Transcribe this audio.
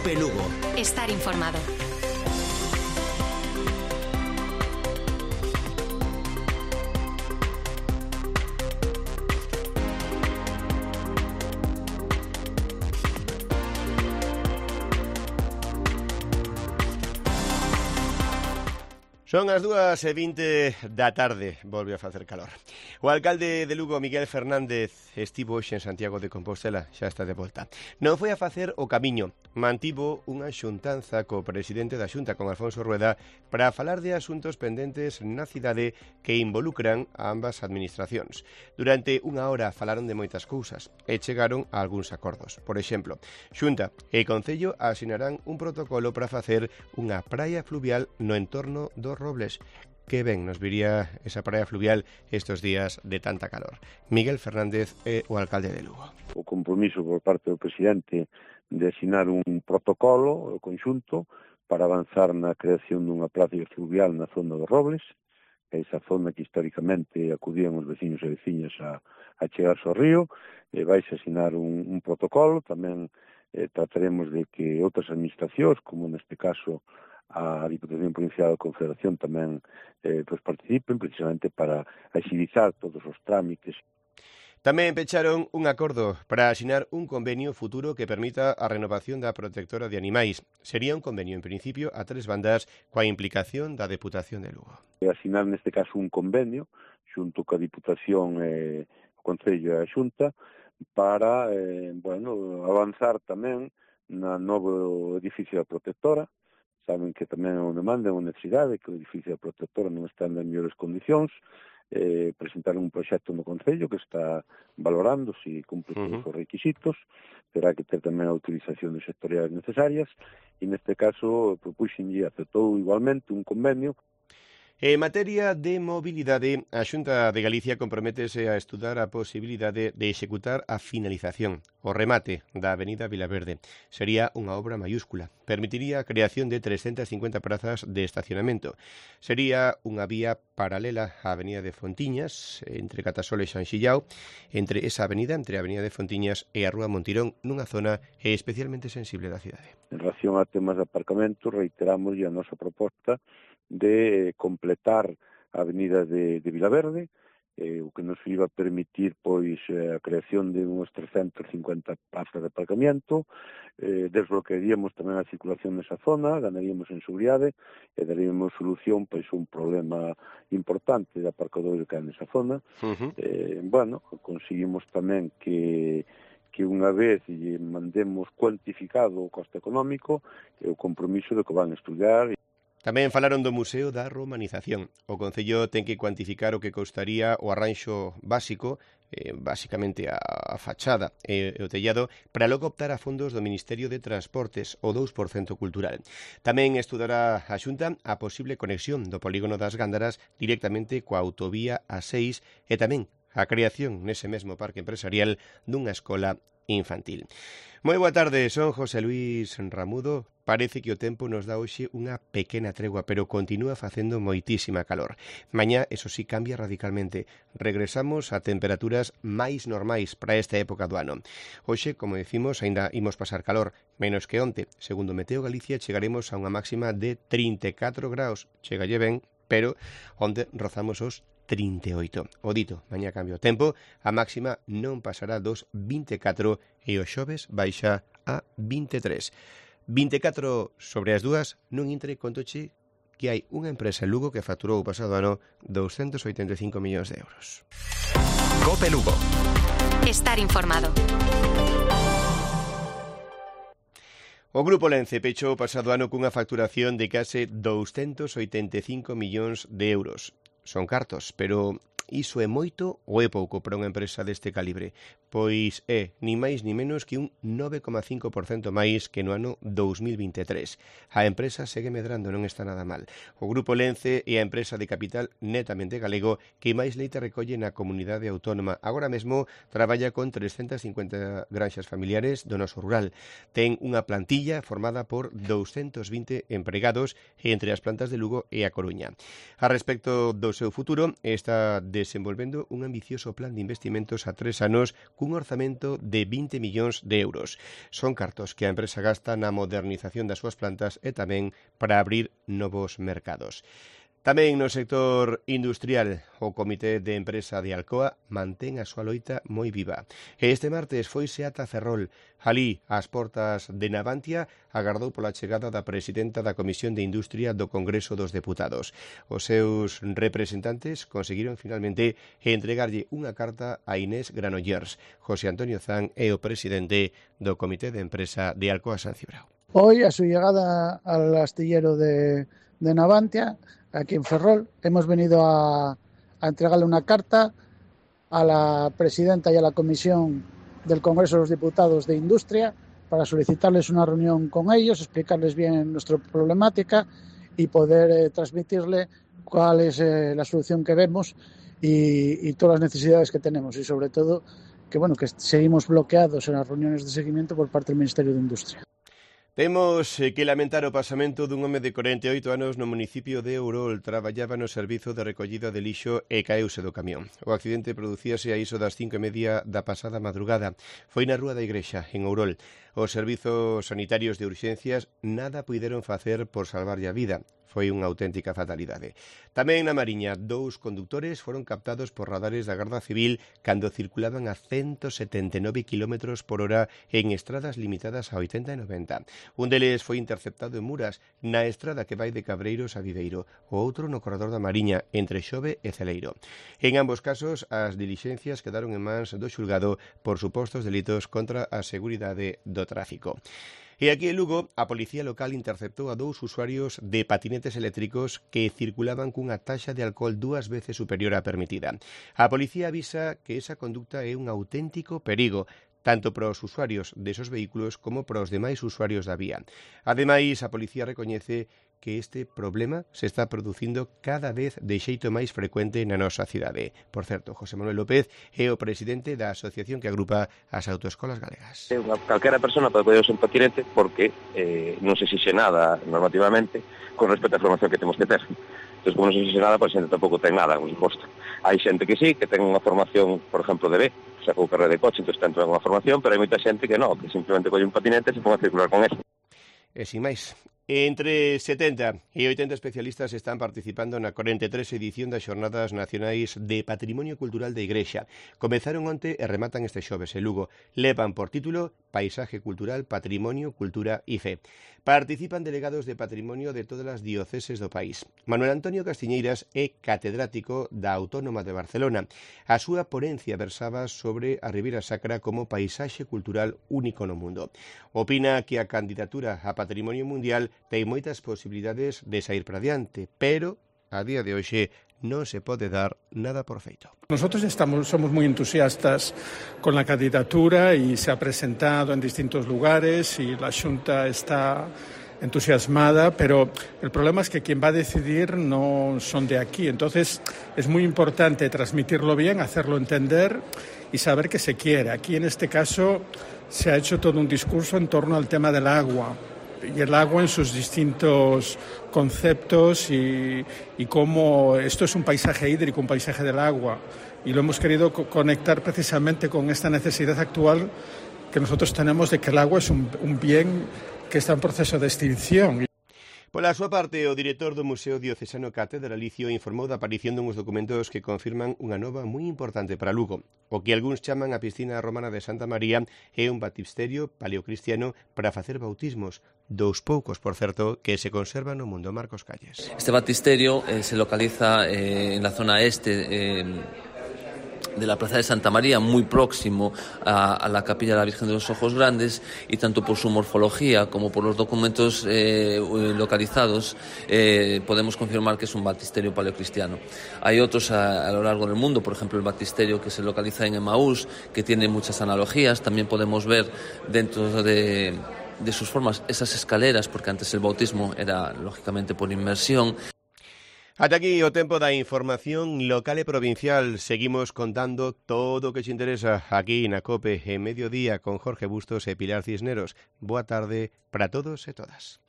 COPE Lugo. Estar informado. Son as 2:20 da tarde, volve a facer calor. O alcalde de Lugo, Miguel Fernández, estivo hoxe en Santiago de Compostela, xa está de volta. Non foi a facer o camiño, mantivo unha xuntanza co presidente da Xunta, con Alfonso Rueda, para falar de asuntos pendentes na cidade que involucran a ambas administracións. Durante unha hora falaron de moitas cousas e chegaron a algúns acordos. Por exemplo, Xunta e Concello asinarán un protocolo para facer unha praia fluvial no entorno dos Robles. Que ben nos viría esa praia fluvial estes días de tanta calor. Miguel Fernández é o alcalde de Lugo. O compromiso por parte do presidente de asinar un protocolo conxunto para avanzar na creación dunha praia fluvial na zona dos Robles, esa zona que históricamente acudían os veciños e veciñas a chegarse ao río. Vais a asinar un protocolo, tamén trataremos de que outras administracións, como neste caso a Diputación Provincial da Confederación, tamén participen precisamente para agilizar todos os trámites. Tamén pecharon un acordo para asinar un convenio futuro que permita a renovación da protectora de animais. Sería un convenio, en principio, a 3 bandas coa implicación da Deputación de Lugo. Asinar, neste caso, un convenio xunto coa Diputación, o Concello e a Xunta para avanzar tamén na novo edificio da protectora. Saben que tamén é unha demanda, é unha necesidade, que o edificio da protectora non está en mellores condicións. Presentaron un proxecto no Concello que está valorando se cumpre todos os requisitos, terá que ter tamén a utilización de sectoriais necesarias, e neste caso propuxenlle, aceptou igualmente un convenio. En materia de mobilidade, a Xunta de Galicia comprométese a estudar a posibilidade de executar a finalización, o remate da Avenida Vilaverde. Sería unha obra mayúscula. Permitiría a creación de 350 prazas de estacionamento. Sería unha vía paralela á Avenida de Fontiñas, entre Catasol e Xanxillao, entre esa avenida, entre a Avenida de Fontiñas e a Rúa Montirón, nunha zona especialmente sensible da cidade. En relación a temas de aparcamento, reiteramos a nosa proposta de completar a avenida de Vilaverde, o que nos iba a permitir a creación de uns 350 plazas de aparcamento, desbloquearíamos tamén a circulación nesa zona, ganaríamos en seguridade e daríamos solución a un problema importante de aparcadoiro que hai nesa zona. Conseguimos tamén que unha vez lle mandemos cuantificado o coste económico e o compromiso de que van a estudiar. Tamén falaron do Museo da Romanización. O Concello ten que cuantificar o que costaría o arranxo básico, basicamente a fachada e o tellado, para logo optar a fondos do Ministerio de Transportes, o 2% cultural. Tamén estudará a Xunta a posible conexión do polígono das Gándaras directamente coa autovía A6 e tamén a creación nese mesmo parque empresarial dunha escola infantil. Moi boa tarde, son José Luis Ramudo. Parece que o tempo nos dá hoxe unha pequena tregua, pero continúa facendo moitísima calor. Mañá, eso sí, cambia radicalmente. Regresamos a temperaturas máis normais para esta época do ano. Hoxe, como decimos, aínda imos pasar calor, menos que onte. Segundo Meteo Galicia, chegaremos a unha máxima de 34 graus. Chegalle ben, pero onte rozamos os 38. O dito, mañá cambia o tempo, a máxima non pasará dos 24 e o xoves baixa a 23. 24 sobre as 2, nun intre contoche que hai unha empresa en Lugo que facturou o pasado ano 285 millóns de euros. COPE Lugo. Estar informado. O Grupo Lence pechou o pasado ano cunha facturación de case 285 millóns de euros. Son cartos, pero iso é moito ou é pouco para unha empresa deste calibre? Pois é, ni máis ni menos que un 9,5% máis que no ano 2023. A empresa segue medrando, non está nada mal. O Grupo Lence é a empresa de capital netamente galego que máis leite recolle na comunidade autónoma. Agora mesmo traballa con 350 granxas familiares do noso rural. Ten unha plantilla formada por 220 empregados entre as plantas de Lugo e a Coruña. A respecto do seu futuro, está de desenvolvendo un ambicioso plan de investimentos a 3 anos cun orzamento de 20 millóns de euros. Son cartos que a empresa gasta na modernización das súas plantas e tamén para abrir novos mercados. Tamén no sector industrial, o Comité de Empresa de Alcoa mantén a súa loita moi viva. E este martes foise ata Ferrol. Alí, ás portas de Navantia, agardou pola chegada da presidenta da Comisión de Industria do Congreso dos Deputados. Os seus representantes conseguiron finalmente entregarlle unha carta a Inés Granollers. José Antonio Zan é o presidente do Comité de Empresa de Alcoa San Cibrao. Hoy, a su llegada al astillero de Navantia, aquí en Ferrol, hemos venido a entregarle una carta a la presidenta y a la Comisión del Congreso de los Diputados de Industria para solicitarles una reunión con ellos, explicarles bien nuestra problemática y poder transmitirle cuál es la solución que vemos y todas las necesidades que tenemos y sobre todo que seguimos bloqueados en las reuniones de seguimiento por parte del Ministerio de Industria. Temos que lamentar o pasamento dun home de 48 anos no municipio de Ourol. Traballaba no servizo de recollida de lixo e caeuse do camión. O accidente producíase a iso das 5:30 da pasada madrugada. Foi na Rúa da Igrexa, en Ourol. Os servizos sanitarios de urxencias nada puideron facer por salvarlle a vida. Foi unha auténtica fatalidade. Tamén na Mariña, 2 condutores foron captados por radares da Garda Civil cando circulaban a 179 km por hora en estradas limitadas a 80 e 90. Un deles foi interceptado en Muras, na estrada que vai de Cabreiros a Viveiro, o outro no corredor da Mariña, entre Xove e Celeiro. En ambos casos, as dilixencias quedaron en mans do xulgado por supostos delitos contra a seguridade do tráfico. E aquí en Lugo, a policía local interceptou a 2 usuarios de patinetes eléctricos que circulaban cunha taxa de alcohol 2 veces superior á permitida. A policía avisa que esa conducta é un auténtico perigo, tanto para os usuarios desos vehículos como para os demais usuarios da vía. Ademais, a policía recoñece que este problema se está producindo cada vez de xeito máis frecuente na nosa cidade. Por certo, José Manuel López é o presidente da asociación que agrupa as autoescolas galegas. Calquera persona pode poder usar un patinete porque non se exixe nada normativamente con respecto á formación que temos que ter. Entón, como non se exixe nada, pois a xente tampouco ten nada, por suposto. Hai xente que sí, que ten unha formación, por exemplo, de B, sacou carreira de coche, entón ten unha formación, pero hai moita xente que non, que simplemente colle un patinete e se pon a circular con eso. E sin máis, entre 70 e 80 especialistas están participando na 43 edición das Xornadas Nacionais de Patrimonio Cultural da Igrexa. Comezaron onte e rematan este xoves en Lugo. Levan por título Paisaje Cultural, Patrimonio, Cultura e Fe. Participan delegados de patrimonio de todas as dioceses do país. Manuel Antonio Castiñeiras é catedrático da Autónoma de Barcelona. A súa ponencia versaba sobre a Ribeira Sacra como paisaxe cultural único no mundo. Opina que a candidatura a Patrimonio Mundial ten moitas posibilidades de sair para diante, pero a día de hoxe non se pode dar nada por feito. Nosotros somos muy entusiastas con la candidatura y se ha presentado en distintos lugares y la Xunta está entusiasmada, pero el problema es que quien va a decidir no son de aquí. Entonces es muy importante transmitirlo bien, hacerlo entender y saber que se quiere. Aquí en este caso se ha hecho todo un discurso en torno al tema del agua. Y el agua en sus distintos conceptos y cómo esto es un paisaje hídrico, un paisaje del agua. Y lo hemos querido conectar precisamente con esta necesidad actual que nosotros tenemos de que el agua es un bien que está en proceso de extinción. Pola súa parte, o director do Museo Diocesano Catedralicio informou da aparición dunhos documentos que confirman unha nova moi importante para Lugo. O que algúns chaman a piscina romana de Santa María é un baptisterio paleocristiano para facer bautismos, dous poucos, por certo, que se conservan no mundo. Marcos Calles. Este baptisterio se localiza en la zona este de la Plaza de Santa María, muy próximo a la Capilla de la Virgen de los Ojos Grandes, y tanto por su morfología como por los documentos localizados podemos confirmar que es un baptisterio paleocristiano. Hay otros a lo largo del mundo, por ejemplo el baptisterio que se localiza en Emaús, que tiene muchas analogías. También podemos ver dentro de sus formas esas escaleras, porque antes el bautismo era lógicamente por inmersión. Ata aquí o tempo da información local e provincial. Seguimos contando todo o que te interesa aquí na COPE en Mediodía con Jorge Bustos e Pilar Cisneros. Boa tarde para todos e todas.